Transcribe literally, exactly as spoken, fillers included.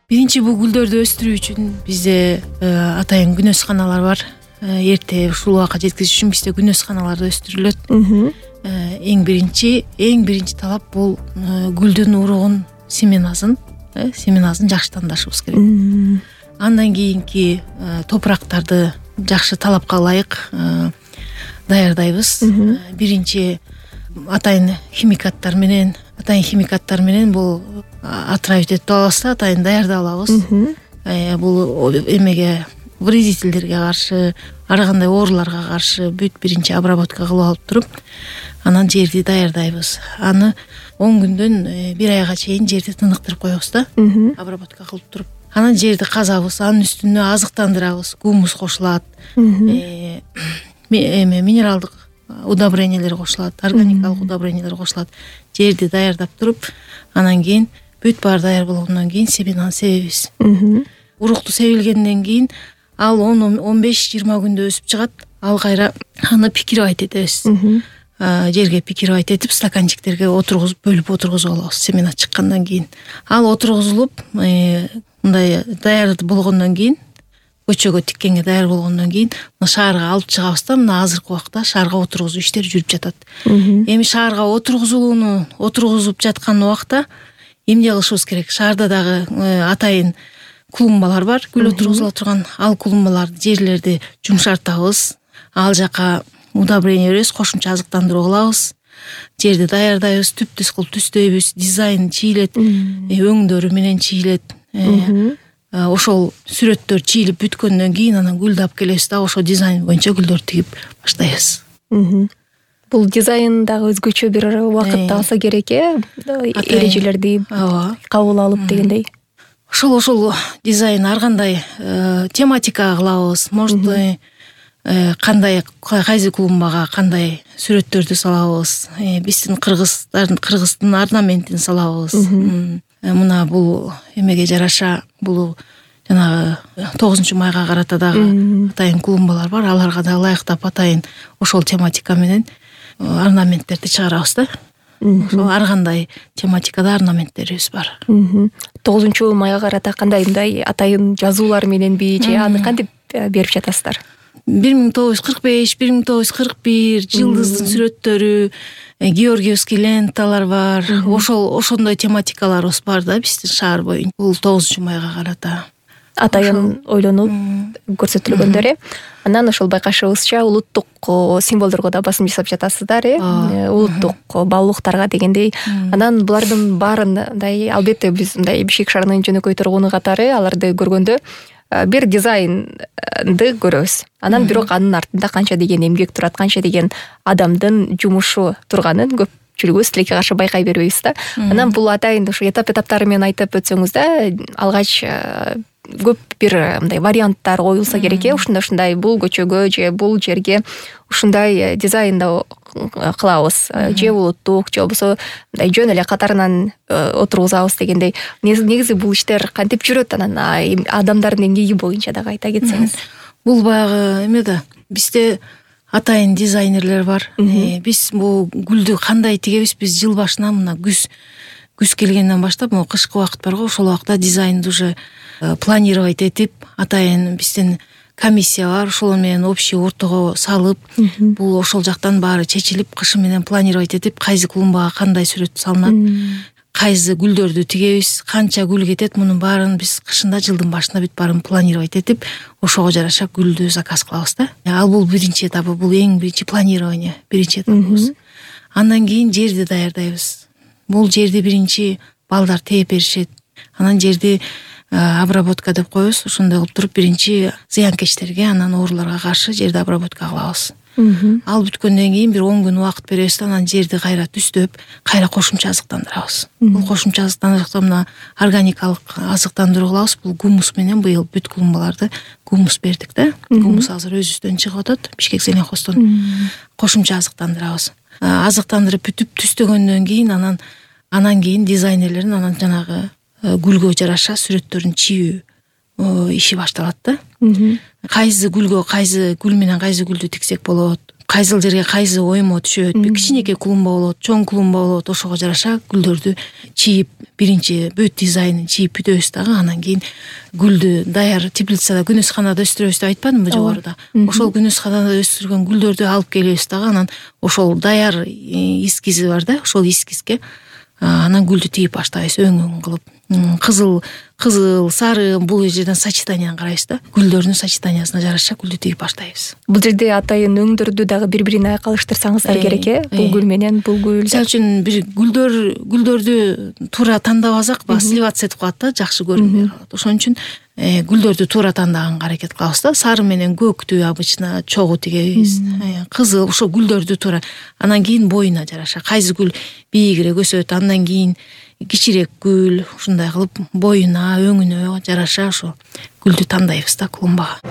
Биринчи бул гүлдөрдү өстүрүү үчүн бизде атайын күнөсканалар бар. Эрте ушул убакка жеткизиш үчүн бизде күнөсканаларда өстүрүлөт. Эң биринчи эң биринчи талап бул гүлдүн уругун, семеназын, семеназын жакшы тандашыбыз керек. Андан кийинки топурактарды жакшы талапка ылайык даярдайбыз. Биринчи атайын химикаттар менен, атайын химикаттар менен бул отравить этип алабыз да, атайын даярдап алабыз. Бул эмеге, вредительдерге каршы, ар кандай ооруларга каршы бүт биринчи обработка кылып алып туруп, анан жерди даярдайбыз. Аны он күндөн бир айга чейин жерди тыныктырып коебуз да, обработка кылып туруп. Анан жерди казабыз, анын үстүнө азыктандырабыз, гумус кошулат, эме минералдык удобрениялер кошулат, органикалык удобрениялер кошулат. Жерди даярдап туруп, анан кийин бүт баары даяр болгондон кийин семенаны себебиз. Урукту себилгенден кийин ал он беш жыйырма күндө өсүп чыгат. Ал кайра аны пикировать этебиз. Жерге пикировать этип, стаканчиктерге отургузуп, бөлүп отургузуп алабыз семена чыккандан кийин. Ал отургузулуп, мындай даяр болгондон кийин, көчөгө тиккенге даяр болгондон кийин шаарга алып чыгабыз да, мына азыркы убакта шаарга отургузуу иштери жүрүп жатат. Эми шаарга отургузууну отургузуп жаткан убакта эмне кылышыбыз керек? Шаарда дагы атайын клумбалар бар, гүл отургузула турган. Ал клумбаларды, жерлерди жумшартабыз. Ал жака удобрение беребиз, кошумча азыктандыруу кылабыз. Жерди даярдайбыз, түп-түз кылып түздөйбүз, дизайн чийилет, өңдөрү менен чийилет. Ошол сүрөттөр чийилип бүткөндөн кийин анан гүлдү алып келебиз да, ошол дизайн боюнча гүлдөрдү тигип баштайбыз. Бул дизайн дагы өзгөчө бир убакытты алса керек, э? Эрежелерди кабыл алып дегендей. Ошол ошол дизайн ар кандай тематика кылабыз. Может, кандай кайсы клумбага кандай сүрөттөрдү салабыз. Биздин кыргыздардын кыргыздын орнаментин салабыз. Мына бул эмеге жараша, бул жанагы тогузунчу майга карата дагы атайын клумбалар бар. Аларга да ылайыктап атайын ошол тематика менен орнаменттерди чыгарабыз да. Ошол ар кандай тематикада орнаменттерибиз бар. тогузунчу майга карата кандай мындай атайын жазуулар мененби же аны кантип берип жатасыздар? бир миң тогуз жүз кырк беш, бир миң тогуз жүз кырк бир жылдыздын сүрөттөрү, георгиевский ленталар бар. Ошол ошондой тематикаларыбыз бар да биздин шаар боюнча. Бул тогузунчу майга карата атайын ойлонуп көрсөтүлгөндөр, э? Анан ошол байкашыбызча улуттук символдорго да басым жасап жатасыздар, э? Улуттук баалуулуктарга дегендей. Анан булардын баарын мындай, албетте биз мындай Бишкек шаарынын жөнөкөй тургуну катары аларды көргөндө бир дизайнды көрөбүз. Анан бирок анын артында канча деген эмгек турат, канча деген адамдын жумушу турганын көпчүлүгүбүз тилекке каршы байкай бербейбиз да. Анан бул атайын ошо этап-этаптары менен айтып өтсөңүз да, алгач көп бир мындай варианттар коюлса керек, э? Ушундай ушундай бул көчөгө же бул жерге ушундай дизайнда кылабыз, же улуттук, же болбосо мындай жөн эле катарынан отургузабыз дегендей. Негизи бул иштер кантип жүрөт? Анан адамдардын эмгеги боюнча дагы айта кетсеңиз. Бул баягы эме да, бизде атайын дизайнерлер бар. Биз бул гүлдү кандай тигебиз? Биз жыл башынан мына күз күз келгенден баштап, могу кышкы убакыт барго, ошол убакта дизайнды уже планировать этип, атайын биздин комиссия бар, ошол менен общий ортого салып, бул ошол жактан баары чечилип, кышы менен планировать этип, кайсы клумбага кандай сүрөт салынат, кайсы гүлдөрдү тигебиз, канча гүл кетет, мунун баарын биз кышында жылдын башында бүт баарын планировать этип, ошого жараша гүлдү заказ кылабыз да. Ал бул биринчи этабы, бул эң биринчи планирование, биринчи этабыбыз. Андан кийин жерди даярдайбыз. Бул жерди биринчи балдар тээп беришет. Анан жерди обработка деп коебуз. Ошондой кылып туруп биринчи зыянкечтерге, анан ооруларга каршы жерди обработка кылабыз. Ал бүткөндөн кийин бир он күн убакыт беребиз да, анан жерди кайра түздөп, кайра кошумча азыктандырабыз. Бул кошумча азыктандырыкта мына органикалык азыктандыруу кылабыз. Бул гумус менен быйыл бүт клумбаларды гумус бердик да. Гумус азыр өзүбүздөн чыгып атат, Бишкек зеленхоздон. Кошумча азыктандырабыз. Азыктандырып бүтүп түздөгөндөн кийин анан анан кийин дизайнерлердин анан жанагы гүлгө жараша сүрөттөрүн чийүү иши башталат да. Кайсы гүлгө кайсы гүл менен кайсы гүлдү тиксек болот, кайсыл жерге кайсы оймо түшөт, кичинекей клумба болот, чоң клумба болот, ошого жараша гүлдөрдү чийип, биринчи бүт дизайнын чийип бүтөбүз дагы, анан кийин гүлдү даяр теплицада, күнөсканада өстүрөбүз деп айтпадымбы жогоруда? Ошол күнөсканада өстүргөн гүлдөрдү алып келебиз дагы, анан ошол даяр эскизи бар да, ошол эскизге анан гүлдү тигип баштайбыз, өң-өң кылып. Кызыл, кызыл, сары, бул жерден сочетанияны карайбыз да. Гүлдөрдүн сочетаниясына жараша гүлдү тигип баштайбыз. Бул жерде атайын өңдөрдү дагы бири-бирине айкалыштырсаңыздар керек э? Бул гүл менен бул гүл. Мисалы үчүн бир гүлдөр гүлдөрдү туура тандабасак, баягы сливаться этип калат да, жакшы көрүнбөй калат. Ошон үчүн гүлдөрдү туура тандаганга аракет кылабыз да. Сары менен көктү обычно чогуу тигебиз. Кызыл ошо гүлдөрдү туура. Анан кийин боюна жараша кайсы гүл бийигирээк өсөт, андан кийин кичирээк гүл, ушундай кылып боюна, өңүнө жараша ошо гүлдү тандайбыз да клумбага.